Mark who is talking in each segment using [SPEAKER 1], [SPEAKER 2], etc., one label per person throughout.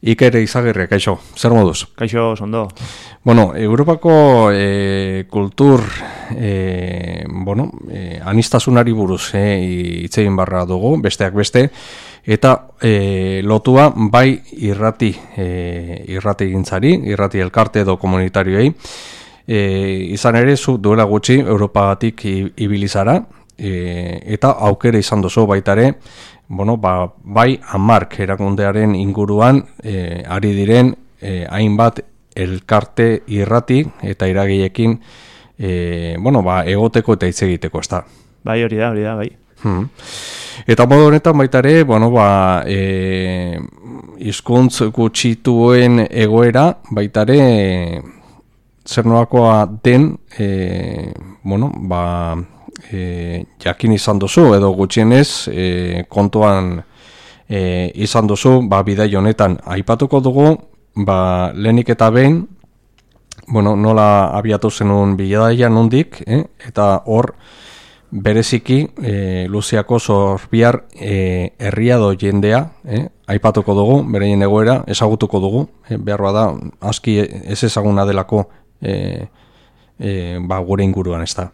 [SPEAKER 1] Iker Izagirre, kaixo, zer moduz?
[SPEAKER 2] Kaixo, ondo.
[SPEAKER 1] Bueno, Europako kultur anistasunari buruz hitz egin barra dugu, besteak beste, eta lotua bai irrati gintzari, irrati elkarte edo komunitarioei, izan ere zu duela gutxi Europatik ibili zara, eta aukera izan duzu baitare, bai Amark erakundearen inguruan ari diren hainbat elkarte irrati eta iragiekin egoteko eta hitz egiteko, ezta.
[SPEAKER 2] Bai, hori da, bai.
[SPEAKER 1] Eta modu honetan baita ere, hizkuntz gutxituen egoera baita ere zer nolakoa den jakin izan duzu edo gutxienez kontuan izan duzu bidai honetan aipatuko dugu lehenik eta behin nola abiatu zenun bidaia nondik eta hor bereziki Luziako Zorbiar herriado jendea aipatuko dugu, bereien egoera ezagutuko dugu, behar bada aski ez ezaguna delako gure inguruan, ez da.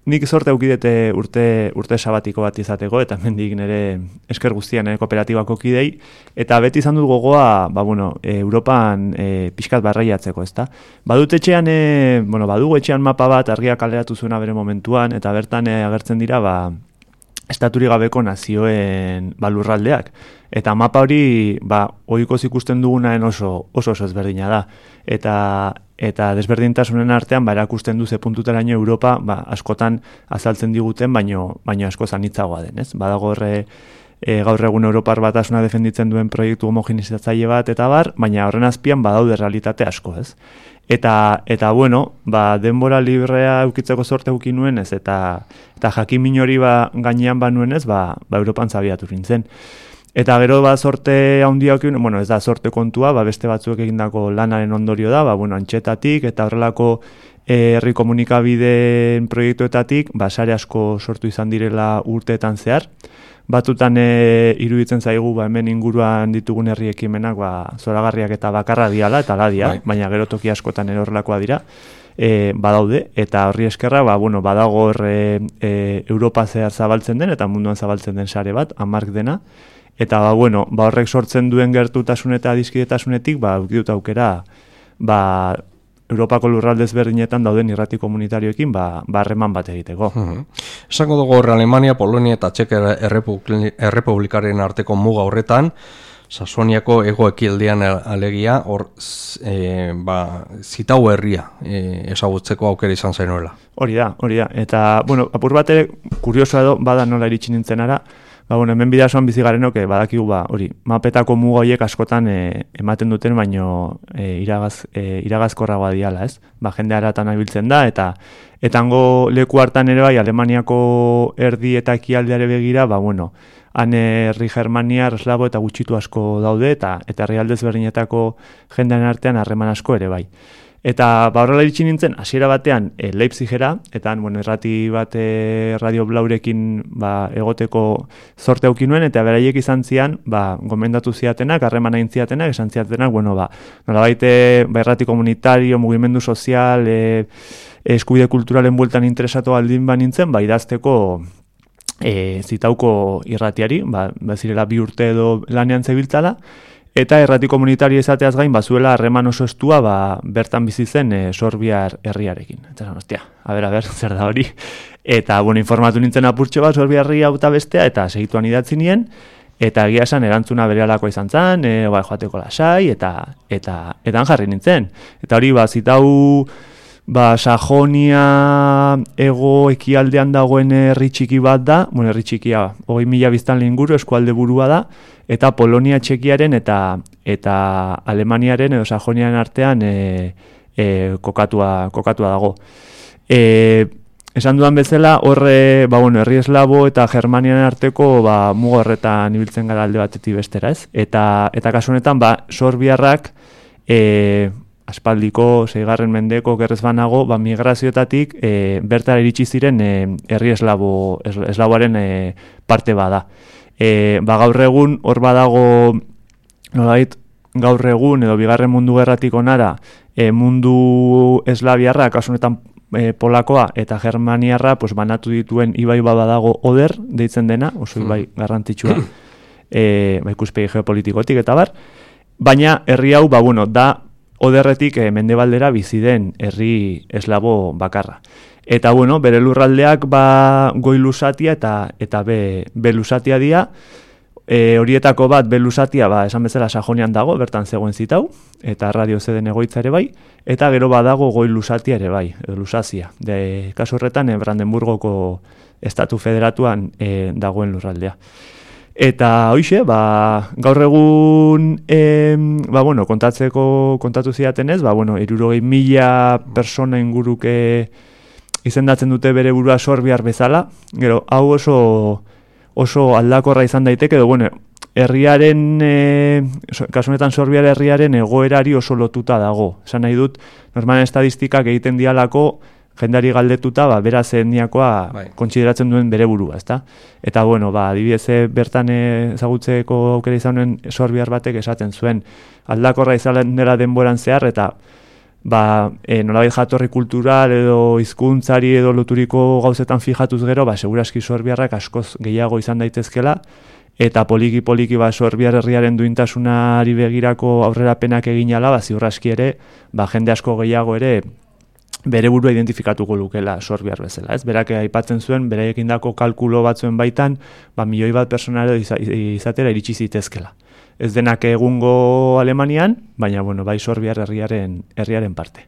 [SPEAKER 2] Nik sorte aukidete urte sabatiko bat izateko, eta mendik nire esker guztian kooperatibako kidei, eta beti izan dut gogoa, Europan pixkat barraiatzeko, ezta? Badugu etxean mapa bat argiak kaleratu zuena bere momentuan, eta bertan agertzen dira, estaturi gabeko nazioen lurraldeak. Eta mapa hori, ohikoz ikusten dugunaen oso ezberdina da. Eta desberdintasunen artean, erakusten du ze puntuteraino Europa, askotan azaltzen diguten, baino asko zanitzagoa den, ez? Badago gaur egun Europar Batasuna defenditzen duen proiektu homogenizatzaile bat, eta baina horren azpian badaude realitate asko, ez? Eta denbora librea eukitzeko sorte euki nuen, ez? Eta jakin hori gainean nuen, ez? Europan zabiatu nintzen. Eta gero sorte handia ez da sorte kontua, beste batzuek egindako lanaren ondorio da, antxetatik eta horrelako herri komunikabideen proiektuetatik, sare asko sortu izan direla urteetan zehar. Batutan iruditzen zaigu hemen inguruan ditugun herri ekimenak zoragarriak eta bakarra diala eta ladia, baina gero toki askotan horrelakoa dira. Badaude, eta horri eskerra, badago Europa zehar zabaltzen den, eta munduan zabaltzen den sare bat, Amark dena. Eta horrek sortzen duen gertutasun eta adiskidetasunetik, dut aukera, Europako lurralde ezberdinetan dauden irrati komunitarioekin, harreman bat egiteko.
[SPEAKER 1] Esango dugu Alemania, Polonia eta Txek Errepublikaren arteko muga horretan, Sasoniako hego-ekialdean alegia, hor zitau herria ezagutzeko aukera izan zainuela.
[SPEAKER 2] Hori da. Eta, apur bate, kuriosoa edo, bada nola iritsi nintzen ara, hemen bidasoan bizigarenok badakigu mapetako muga horiek askotan ematen duten, baino iragazkorragoa diala, ez? Jende haratan abiltzen da, eta hango leku hartan ere Alemaniako erdi eta ekialdeare begira, han herri germaniar, eslabo eta gutxitu asko daude, eta herrialde ezberdinetako jendean artean harreman asko ere bai. Eta horrela iritsi nintzen, hasiera batean Leipzigera, eta errati bat Radio Blaurekin egoteko zorte auki nuen, eta beraiek izan zian, gomendatu ziatenak, harreman hain ziatenak, esan ziatenak, nolabait errati komunitario, mugimendu sozial, eskubide kulturalen bueltan interesatu aldin nintzen, idazteko zitauko irratiari, zirela 2 urte edo lanean zebiltzala, eta errati komunitario izateaz gain, zuela harreman oso estua, bertan bizi zen Sorbiar herriarekin. Eta ber, zer da hori? Eta, informatu nintzen apurtxo Sorbiar herria eta bestea, eta segituan idatzi nien, eta egia esan erantzuna berehalako izan zen, joateko lasai, eta han jarri nintzen. Eta hori, zitau Sajonia ego ekialdean dagoen herri txiki bat da, herri txikia, 20.000 biztanle inguru eskualde burua da, eta Polonia, Txekiaren eta Alemaniaren edo Sajoniaren artean kokatua dago. Esan dudan bezala, horre, herri eslabo eta Germaniaren arteko muga horretan ibiltzen gara alde batetik bestera, ez? Eta kasu honetan, Sorbiarrak aspaldiko 6. mendeko gerrez banago, migrazioetatik bertara iritsi ziren herri eslaboaren parte bada. Gaur egun hor badago nolabait gaur egun edo bigarren mundu gerratik onara mundu eslaviarra, kasu honetan polakoa eta germaniarra pues, banatu dituen ibai badago Oder deitzen dena, oso ibai garrantzitsua ikuspegi geopolitikotik eta bar, baina herri hau da Oderretik mendebaldera bizi den herri eslabo bakarra. Eta bere lurraldeak goi lusatia eta be lusatia dira. Horietako bat belusatia esan bezala Sajonian dago, bertan zegoen zitau, eta radio zeden egoitza ere bai, eta gero badago goi lusatia ere bai, edo lusazia. Kasu horretan, Brandenburgoko estatu federatuan dagoen lurraldea. Eta hoixe, gaur egun kontatu zidatenez, 60.000 persona inguruke izendatzen dute bere burua sorbiar bezala, gero hau oso aldakorra izan daiteke, edo herriaren, kasu honetan sorbiar herriaren egoerari oso lotuta dago. Esan nahi dut, normalen estadistikak egiten dialako, jendari galdetuta, beraz etniakoa kontsideratzen duen bere burua, ezta? Eta, adibidez bertan ezagutzeko aukera izanen sorbiar batek esaten zuen, aldakorra izan dela denboran zehar, eta nolabait jatorri kultural edo hizkuntzari edo loturiko gauzetan fijatuz gero, seguraski sorbiarrak askoz gehiago izan daitezkela, eta poliki sorbiar herriaren duintasunari begirako aurrerapenak egin ala, ziur aski ere, jende asko gehiago ere bere burua identifikatuko lukela sorbiar bezala. Berak aipatzen zuen, beraiekin dako kalkulo batzuen baitan, 1 milioi bat pertsonare izatera iritsi zitezkela. Ez denak egungo Alemanian, baina bai sorbiar herriaren parte.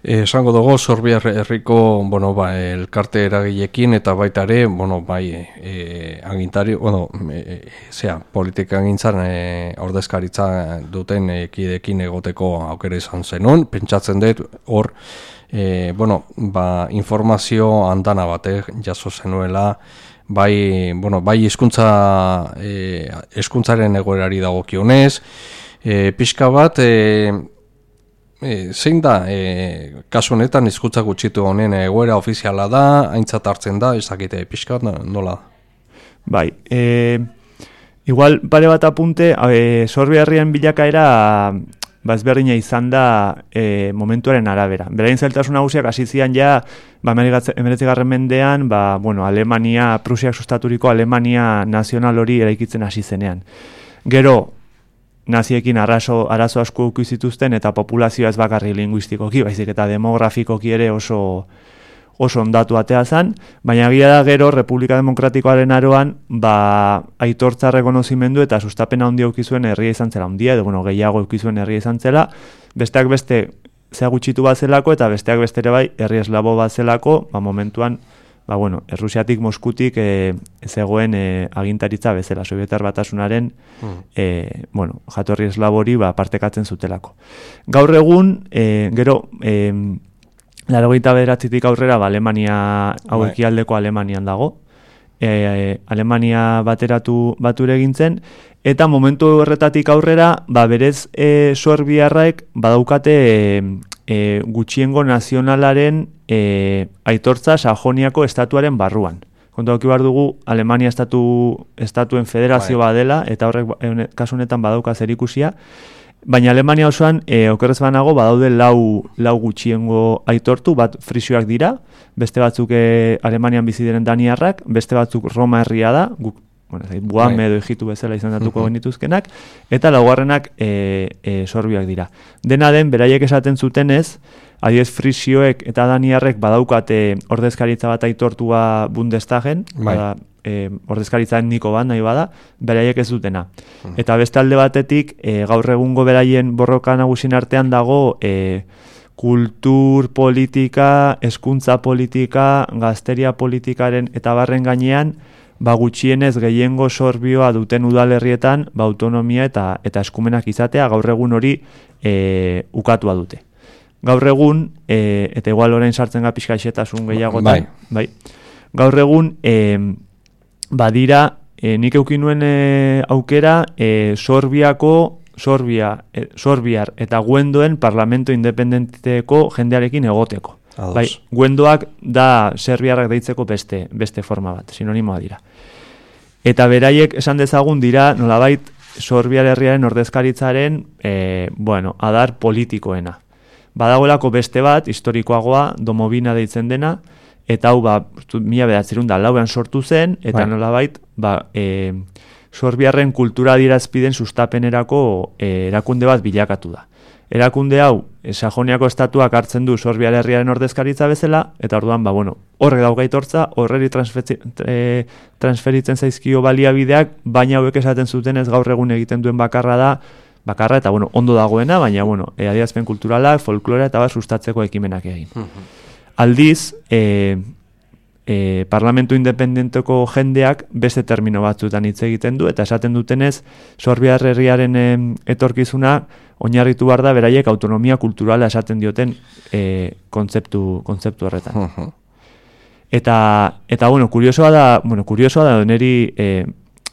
[SPEAKER 1] Esango dugu sorbiar herriko elkarte eragileekin eta baita ere agintari politika agintzan ordezkaritza duten kideekin egoteko aukera izan zenun. Pentsatzen dut hor informazio andana bat jaso zenuela, bai hizkuntzaren egoerari dagokionez, pixka bat zein da, kasu honetan hizkuntza gutxitu honen egoera ofiziala da, aintzat hartzen da, ezakite pixka nola?
[SPEAKER 2] Bai, igual pare bat apunte, sorbiarrien bilakaera ezberdina izan da momentuaren arabera. Berain zailtasun nagusiak hasi zian ja, 19. mendean, Alemania, Prusiak sustaturiko Alemania nazional hori eraikitzen hasi zenean. Gero, naziekin arazo asko eduki zituzten eta populazioa ez bakarri linguistikoki, baizik eta demografikoki ere oso ondatu atea zen, baina egia da gero Republika Demokratikoaren aroan aitortza rekonozimendu eta sustapena handia eduki zuen herria izan zela handia, edo gehiago eduki zuen herria izan zela, besteak beste zea gutxitu bat zelako eta besteak beste ere bai herri eslabo bat zelako, momentuan Errusiatik, Moskutik zegoen agintaritza bezala, Sobietar Batasunaren jatorri eslabori partekatzen zutelako. Gaur egun, gero, 89tik aurrera Alemania, hau ekialdeko Alemanian dago, Alemania bature egintzen, eta momentu horretatik aurrera, berez sorbiarraek badaukate gutxiengo nazionalaren aitortza Sajoniako estatuaren barruan. Kontu hauki behar dugu, Alemania estatuen federazio badela, eta horrek kasu honetan badauka zerikusia, baina Alemania osoan, okerrez banago, badaude lau gutxiengo aitortu, bat frisioak dira, beste batzuk Alemanian bizi diren daniarrak, beste batzuk Roma herria da, Buame edo Egitu bezala izendatuko genituzkenak, eta laugarrenak sorbiak dira. Dena den, beraiek esaten zutenez, adiez frisioek eta daniarrek badaukate ordezkaritza bat aitortua Bundestagen, ordezkaritza etniko bat nahi bada, beraiek ez dutena. Eta beste alde batetik, gaur egungo beraien borroka nagusien artean dago kultur politika, hezkuntza politika, gazteria politikaren eta barren gainean, gutxienez gehiengo sorbioa duten udalerrietan autonomia eta eskumenak izatea gaur egun hori ukatua dute. Gaur egun, eta igual orain sartzen ga pixka xetasun gehiagotan, gaur egun badira, nik eukin nuen aukera Sorbiar eta Guendoen Parlamento Independenteko jendearekin egoteko. Guendoak da serbiarrak deitzeko beste forma bat, sinonimoa dira. Eta beraiek esan dezagun dira nolabait Sorbiar herriaren ordezkaritzaren adar politikoena. Badagoelako beste bat, historikoagoa, Domovina deitzen dena, eta hau 1904an sortu zen, eta nolabait Sorbiarren kultura adierazpideen sustapenerako erakunde bat bilakatu da. Erakunde hau, Sajoniako estatuak hartzen du Sorbiar herriaren ordezkaritza bezala, eta orduan, horrek daukaitortza, horreri transferitzen zaizkio baliabideak, baina hauek esaten zutenez gaur egun egiten duen bakarra eta ondo dagoena, baina adierazpen kulturalak, folklora eta sustatzeko ekimenak egin. Aldiz, parlamentu independenteko jendeak beste termino batzuetan hitz egiten du, eta esaten dutenez, Sorbiar herriaren etorkizuna oinarritu behar da beraiek autonomia kulturala esaten dioten kontzeptu horretan. Eta kuriosoa da neri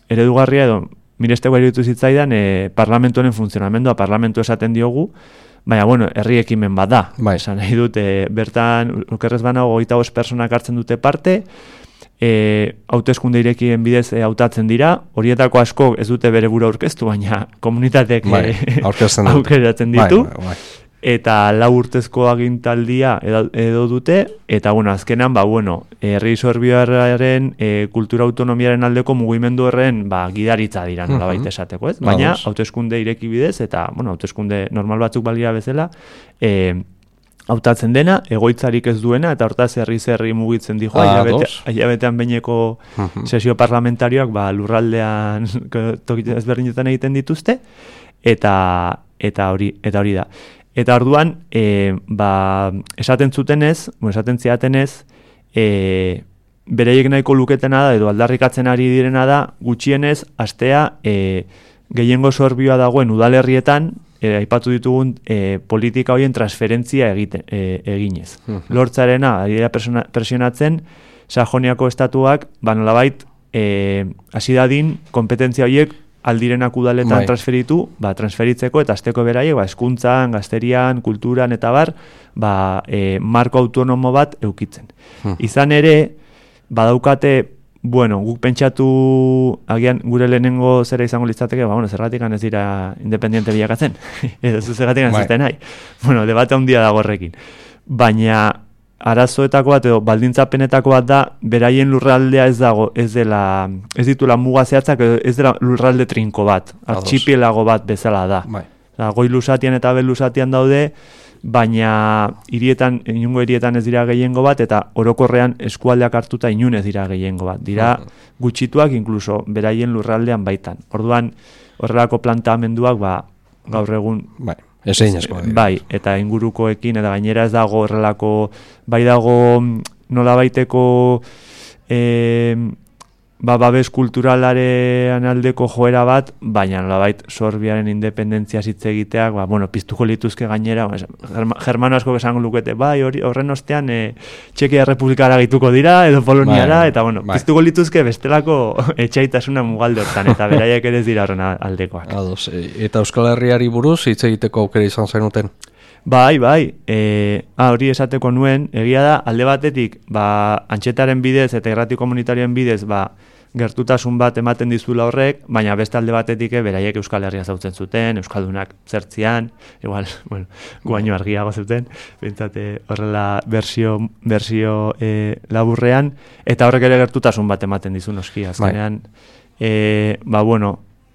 [SPEAKER 2] eredugarria edo miresteko iruditu zitzaidan parlamentuaren funtzionamendua, parlamentu esaten diogu, baina, herri ekimen bat da. Esan nahi dut, bertan, okerrez banago 25 personak hartzen dute parte, hauteskunde irekien bidez hautatzen dira, horietako asko ez dute bere buru aurkeztu, baina komunitateek aukeratzen ditu, eta 4 urtezko agintaldia edo dute, eta azkenan, herri sorbiarraren kultura autonomiaren aldeko mugimendu horren gidaritza dira, nolabait esateko, ez? Baina, hauteskunde ireki bidez, eta, hauteskunde normal batzuk balira bezala, hautatzen dena, egoitzarik ez duena, eta hortaz herri mugitzen dijo, hilabetean behineko sesio parlamentarioak lurraldean toki ezberdinetan egiten dituzte, eta hori da. Eta orduan, esaten ziatenez, bereiek nahiko luketena da, edo aldarrikatzen ari direna da, gutxienez, astea gehiengo sorbioa dagoen udalerrietan, aipatu ditugun politika horien transferentzia eginez. Lortzarena, ari da presionatzen, Sajoniako estatuak, nolabait, hasi dadin, kompetentzia horiek aldirenak udaletan transferitzeko, eta azteko beraiek, hezkuntzan, gazterian, kulturan, eta marko autonomo bat eukitzen. Izan ere, badaukate, guk pentsatu, agian gure lehenengo zera izango litzateke, zergatik ez dira independiente bilakatzen, edo zergatik ez zuten nahi. Debate handia dago horrekin. Baina, arazoetako bat edo baldintzapenetako bat da, beraien lurraldea ez ditula muga zehatzak, ez dela lurralde trinko bat, artxipielago bat bezala da. Goi lusatian eta bel lusatian daude, baina inungo hirietan ez dira gehiengo bat, eta orokorrean eskualdeak hartuta inun ez dira gehiengo bat. Dira gutxituak inkluso beraien lurraldean baitan. Orduan, horrelako plantamenduak gaur egun... eta ingurukoekin, eta gainera ez dago horrelako, dago nolabaiteko babes kulturalaren aldeko joera bat, baina nolabait Sorbiaren independentzia hitz egiteak, piztuko lituzke gainera, germano asko esango lukete, horren ostean Txekia Errepublikara gituko dira, edo Poloniara, eta piztuko lituzke bestelako etxaitasuna mugalde hortan, eta beraiek ere ez dira horren aldekoak.
[SPEAKER 1] Eta Euskal Herriari buruz hitz egiteko aukera izan zenuten?
[SPEAKER 2] Hori esateko nuen, egia da, alde batetik, antxetaren bidez eta irrati komunitarioen bidez, gertutasun bat ematen dizula horrek, baina beste alde batetik beraiek Euskal Herria zautzen zuten, Euskaldunak zertzian, igual, guaino argiago zuten, bentsate horrela bersio laburrean, eta horrek ere gertutasun bat ematen dizu noski, azkenean,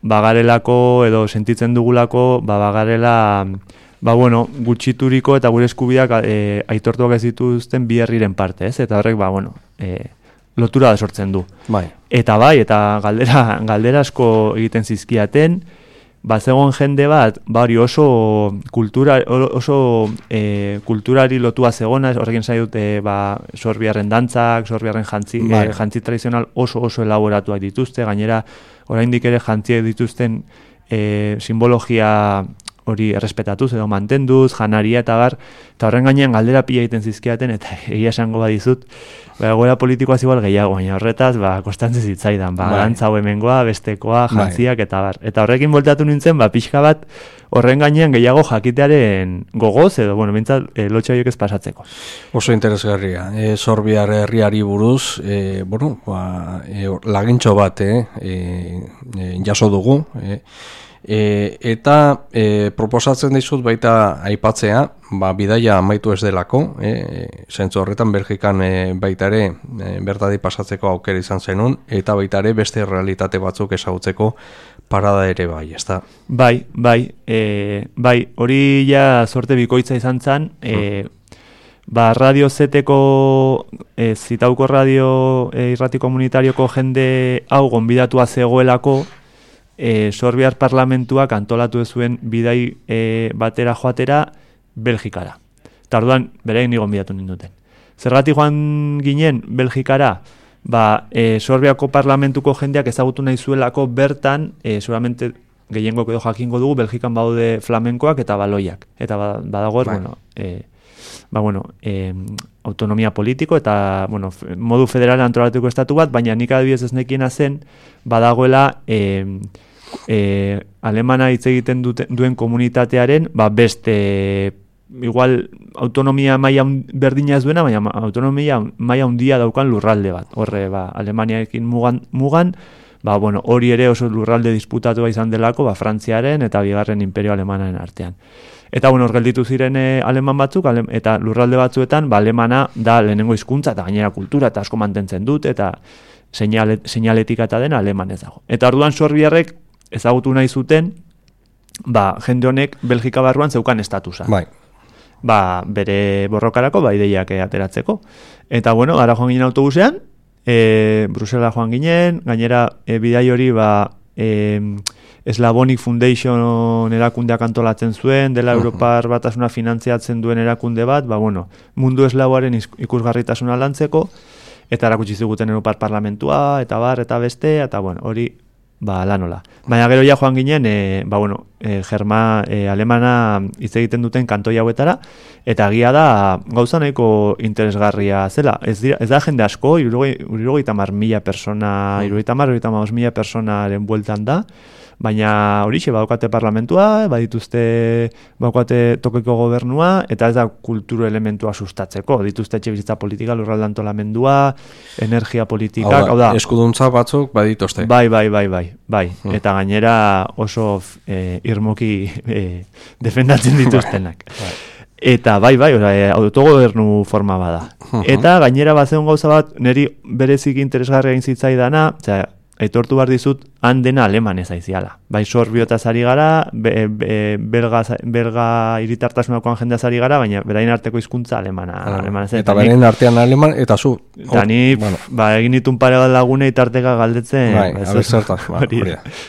[SPEAKER 2] bagarelako edo sentitzen dugulako, bagarela, gutxituriko eta gure eskubideak aitortuak ez dituzten bi herriren parte, ez? Eta horrek, lotura da sortzen du. Eta eta galdera asko egiten zizkiaten, zegoen jende bat, oso kulturari lotua zegona, horrekin zai dute sorbiarren dantzak, sorbiarren jantzi tradizional oso elaboratuak dituzte, gainera oraindik ere jantziek dituzten simbologia hori errespetatuz edo mantenduz, janaria eta bar, eta horren gainean galdera pila egiten zizkiaten, eta egia esango badizut, egoera politikoaz igual gehiago, baina horretaz, kostantzen zitzaidan, dantza hau hemengoa, bestekoa, jantziak, eta bar. Eta horrekin voltatu nintzen, pixka bat, horren gainean gehiago jakitearen gogoz, edo, bintzat, lotxa horiek ez pasatzeko.
[SPEAKER 1] Oso interesgarria. Sorbiar herriari buruz, lagintxo bat, jaso dugu, eta proposatzen dizut baita aipatzea, bidaia amaitu ez delako, zentzu horretan Belgikan baita ere bertadi pasatzeko aukera izan zenun, eta baita ere beste realitate batzuk ezagutzeko parada ere bai, ezta? Bai,
[SPEAKER 2] hori ja sorte bikoitza izan zen, Radio Zeteko, Zitauko Radio irrati komunitarioko jende hau gonbidatua zegoelako, Sorbiar parlamentuak antolatu zuen bidai batera joatera Belgikara. Eta orduan, berein nigon bidatu ninduten. Zergatik joan ginen Belgikara, Sorbiako parlamentuko jendeak ezagutu nahi zuelako bertan, seguramente gehiengok edo jakingo dugu, Belgikan baude flamenkoak eta baloiak. Eta badago, autonomia politiko eta modu federal antolatuko estatu bat, baina nik adibidez ez nekiena zen, badagoela alemana hitz egiten duen komunitatearen beste igual autonomia maila berdina ez duena, baina autonomia maila handia daukan lurralde bat. Horre, Alemaniarekin mugan, hori ere oso lurralde disputatua izan delako, Frantziaren eta bigarren imperio alemanaen artean. Eta hor gelditu ziren aleman batzuk, eta lurralde batzuetan, alemana da lehenengo hizkuntza eta gainera kultura eta asko mantentzen dut, eta seinaletika eta dena alemanez dago. Eta orduan sorbiarrek ezagutu nahi zuten, jende honek Belgika barruan zeukan estatusa. Bere borrokarako, ideiak ateratzeko. Eta gara joan ginen autobusean, Brusela joan ginen, gainera bidai hori Slavonic Foundation erakundeak antolatzen zuen, dela Europar batasuna finantziatzen duen erakunde bat, mundu eslavoaren ikusgarritasuna lantzeko, eta erakutsi ziguten Europar parlamentua, eta eta beste, eta hori lanola. Baina gero ja joan ginen, alemana hitz egiten duten kantoi hauetara, eta egia da gauza nahiko interesgarria zela. Ez da jende asko, 70.000 persona, 70.000 personaren bueltan da, baina horixe badukate parlamentua, badukate tokiko gobernua, eta ez da kulturu elementua sustatzeko. Dituzte etxebizitza politika, lurralde antolamendua, energia politikak,
[SPEAKER 1] hau da, eskuduntza batzuk badituzte.
[SPEAKER 2] Bai. Eta gainera oso irmoki defendatzen dituztenak. Eta autogobernu forma bada. Eta gainera bazeon gauza bat, niri berezik interesgarria intzitzaidanaa, aitortu behar dizut, han dena alemanez aiziala. Sorbiotaz ari gara, belga iritartasunakoan jendeaz ari gara, baina berain arteko hizkuntza alemana.
[SPEAKER 1] Eta berain artean aleman, eta zu.
[SPEAKER 2] Eta ni, egin ditun pare bat lagune itarteka galdetzen.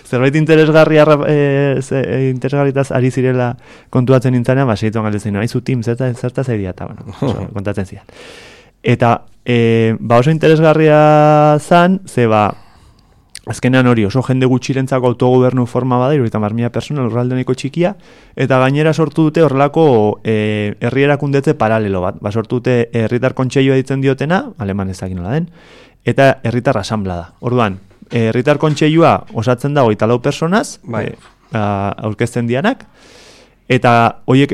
[SPEAKER 2] Zerbait interesgarritaz ari zirela kontuatzen nintzanean, segituan galdetzen, haizu Tim, zertaz ari eta kontatzen zidan. Eta oso interesgarria zan, azkenean hori oso jende gutxirentzako autogobernu forma bada, 70.000 persona lurralde nahiko txikia, eta gainera sortu dute horrelako herri erakundetze paralelo bat. Sortu dute herritar kontseilua ditzen diotena, aleman ezakin nola den, eta herritar asanbla da. Orduan, herritar kontseilua osatzen da 24 personaz, aurkezten dianak, eta horiek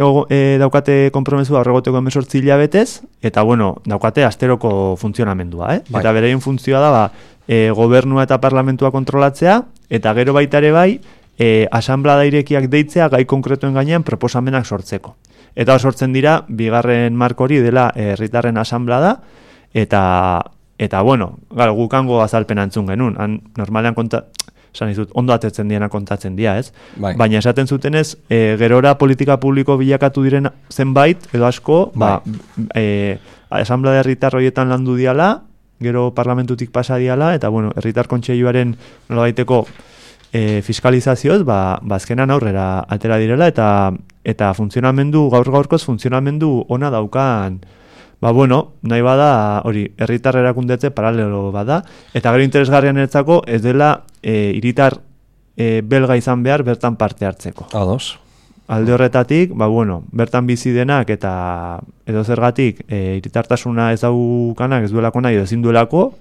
[SPEAKER 2] daukate konpromesua horregoteko 18 hilabetez, eta daukate asteroko funtzionamendua. Eta bereien funtzioa da, gobernua eta parlamentua kontrolatzea, eta gero baita ere bai, asanblada irekiak deitzea gai konkretuen gainean proposamenak sortzeko. Eta sortzen dira, bigarren marko hori dela herritarren asanblada, eta gukango azalpen antzun genuen. Normalean ondo atetzen diena kontatzen dira, ez? Baina esaten zutenez, gerora politika publiko bilakatu diren zenbait, edo asko, asanblada herritar horietan landu diala, gero parlamentutik pasa diala, eta herritar kontseiluaren nolabaiteko fiskalizazioz, azkenan aurrera atera direla, eta funtzionamendu, gaur-gaurkoz funtzionamendu ona daukan, nahi bada, hori, herritar erakundetze paralelo bada, eta gero interesgarrian eretzako ez dela hiritar belga izan behar bertan parte hartzeko.
[SPEAKER 1] Ados.
[SPEAKER 2] alde horretatik, bertan bizi denak eta edo zergatik hiritartasuna ez daukanak, ez duelako nahi, ezin duelako,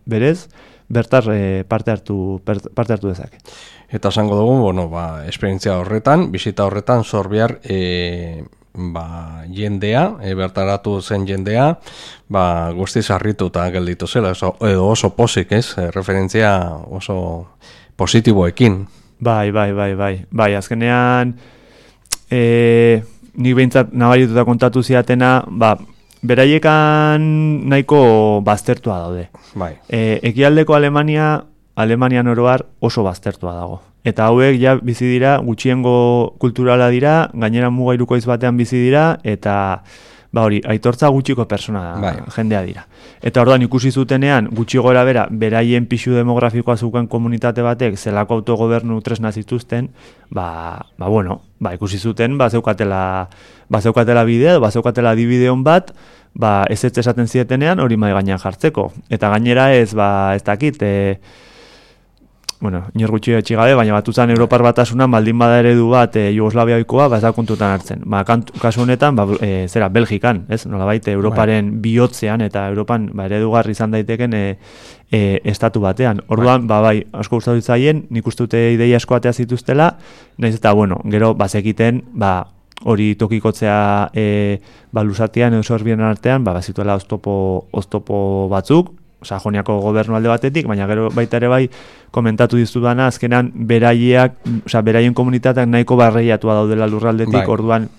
[SPEAKER 2] berez, bertar parte hartu dezake.
[SPEAKER 1] Eta esango dugu, esperientzia horretan, bisita horretan, zor behar jendea, bertaratu zen jendea, guztiz harrituta gelditu zela, edo oso posik, ez? Referentzia oso positiboekin.
[SPEAKER 2] Bai, azkenean nik behintzat nabarituta kontatu ziatena, beraiekan nahiko baztertua daude.
[SPEAKER 1] Bai.
[SPEAKER 2] Ekialdeko Alemanian oroar oso baztertua dago. Eta hauek ja bizi dira, gutxiengo kulturala dira, gainera mugairukoiz batean bizi dira, eta aitortza gutxiko persona jendea dira. Eta orduan ikusi zutenean, gutxi gora beraien pixu demografikoa zuken komunitate batek, zelako autogobernu tresna zituzten, ikusi zuten, zeukatela bidea, zeukatela dibideon bat, ez esaten zietenean hori mai gainean jartzeko. Eta gainera ez dakit, inor gutxi etxigabe, baina batuzan Europar Batasunan baldin bada eredu bat Jugoslaviaikoa, ez da kontutan hartzen. Kasu honetan, Belgikan, ez? Nolabait, Europaren bihotzean eta Europan eredugarri izan daiteken estatu batean. Orduan, asko gustatu zaien, nik uste dute ideia asko atea zituztela, nahiz eta, gero, bazekiten, hori tokikotzea lusatian edo sorbien artean, bazituela oztopo batzuk, Sajoniako gobernu alde batetik, baina gero baita ere komentatu dizudana, azkenan beraien komunitateak nahiko barreiatua daudela lurraldetik, orduan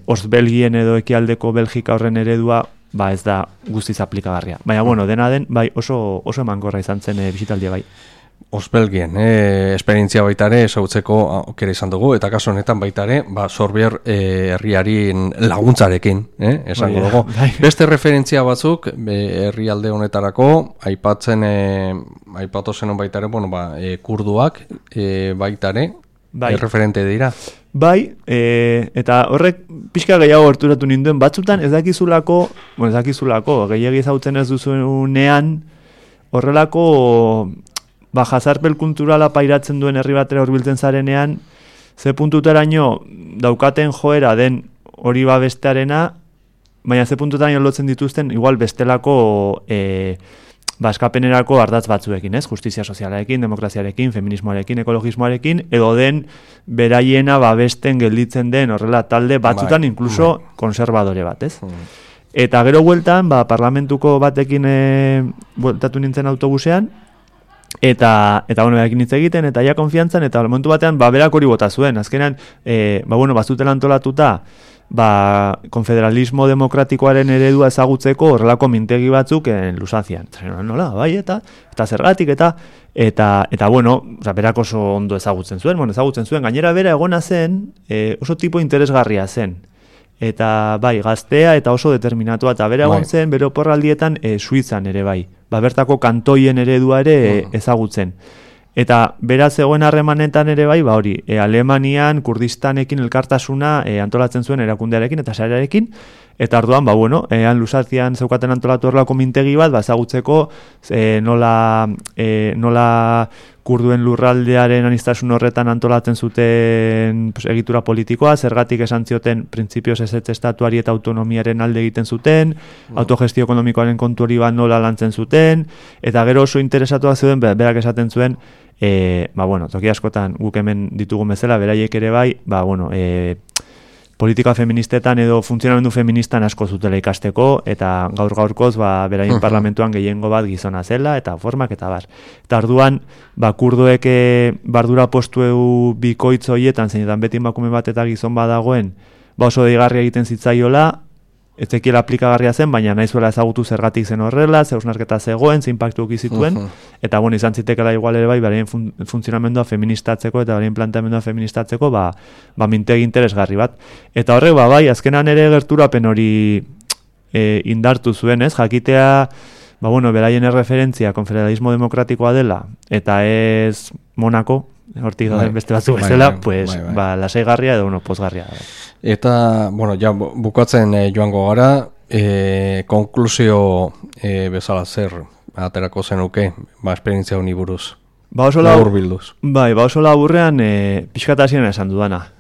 [SPEAKER 2] Ostbelgien edo ekialdeko Belgika horren eredua ez da guztiz aplikagarria. Baina dena den, oso emankorra izan zen bisitaldia
[SPEAKER 1] Ostbelgien, esperientzia baita ere ezagutzeko aukera izan dugu, eta kasu honetan baita ere, Sorbier herriaren laguntzarekin, esango dugu. Beste referentzia batzuk, herrialde honetarako, aipatu zen baita ere, kurduak baita ere, referente dira. Eta horrek pixka gehiago horturatu ninduen, batzutan ez dakizulako, gehiagi ezautzen ez duzunean, horrelako jazarpel kulturala pairatzen duen herri batera hurbiltzen zarenean, ze puntutaraino daukaten joera den hori bestearena, baina ze puntutaraino lotzen dituzten, igual bestelako eskapenerako ardatz batzuekin, ez? Justizia sozialarekin, demokraziarekin, feminismoarekin, ekologismoarekin, edo den beraiena babesten gelditzen den horrela talde batzutan inkluso konservadore bat, ez? Eta gero bueltan, parlamentuko batekin bueltatu nintzen autobusean, eta berakin hitz egiten, eta ja konfiantzan, eta momentu batean, berak hori bota zuen. Azkenean, bazutela antolatuta, konfederalismo demokratikoaren eredua ezagutzeko horrelako mintegi batzuk Lusazian. Nola, eta zergatik, eta berak oso ondo ezagutzen zuen, gainera bera egona zen, oso tipo interesgarria zen. Eta gaztea eta oso determinatua, eta bera egon zen, bere oporraldietan Suitzan ere bertako kantoien eredua ere ezagutzen. Eta beraz zegoen harremanetan ere Alemanian, Kurdistanekin elkartasuna antolatzen zuen erakundearekin eta sarearekin, eta orduan, Lusazian zeukaten antolatu horrelako mintegi bat, ezagutzeko nola kurduen lurraldearen aniztasun horretan antolatzen zuten egitura politikoa, zergatik esan zioten printzipioz ez estatuari eta autonomiaren alde egiten zuten, autogestio ekonomikoaren kontu hori bat nola lantzen zuten, eta gero oso interesatuak zeuden, berak esaten zuen, toki askotan guk hemen ditugun bezala, beraiek ere politika feministetan edo funtzionamendu feministan asko zutela ikasteko, eta gaur-gaurkoz beraien parlamentuan gehiengo bat gizona zela, eta formak eta bar. Eta orduan, kurduek bardura postu bikoitz horietan, zeinetan beti emakume bat eta gizon badagoen, oso deigarria egiten zitzaiola, ez zekiela aplikagarria zen, baina nahizuela ezagutu zergatik zen horrela, zeusnarketa zegoen, ze impactu zituen, eta izan zitekela igual ere beraien funtzionamendua feministatzeko eta beraien planteamendua feministatzeko, mintegi interesgarri bat. Eta horrek, azkenan ere gerturapen hori indartu zuen, ez? Jakitea, beraien erreferentzia konfederalismo demokratikoa dela, eta ez Monako, hortik dauden beste batzuk bezala, lasaigarria edo pozgarria. Eta, ja bukatzen joango gara, konklusio bezala zer aterako zenuke, esperientzia honi buruz. Laburbilduz.
[SPEAKER 2] Oso laburrean pixkat hasieran esan dudana.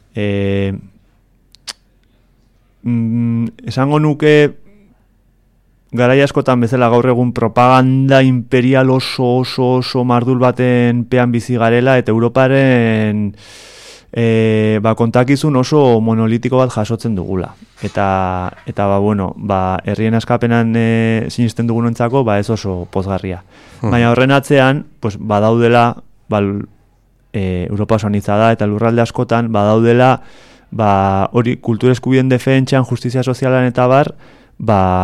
[SPEAKER 2] Esango nuke garai askotan bezala gaur egun propaganda imperial oso mardul baten pean bizi garela eta Europaren kontakizun oso monolitiko bat jasotzen dugula. Eta herrien askapenan sinisten dugunontzako ez oso pozgarria. Baina horren atzean, badaudela, Europa oso anitza da eta lurralde askotan badaudela hori kultur eskubideen defentsan, justizia sozialan eta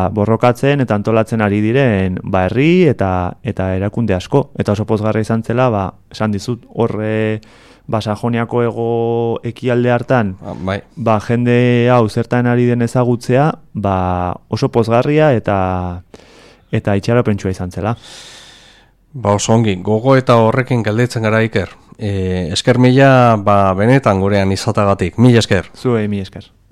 [SPEAKER 2] borrokatzen eta antolatzen ari diren herri eta erakunde asko. Eta oso pozgarria izan zela, esan dizut, horre Sajoniako ego ekialde hartan, jende hau zertan ari den ezagutzea, oso pozgarria eta itxaropentsua izan zela.
[SPEAKER 1] Oso ongi, gogo eta horrekin galdetzen gara Iker. Esker mila, benetan gurean izatagatik. Mila esker.
[SPEAKER 2] Zuei, mila esker.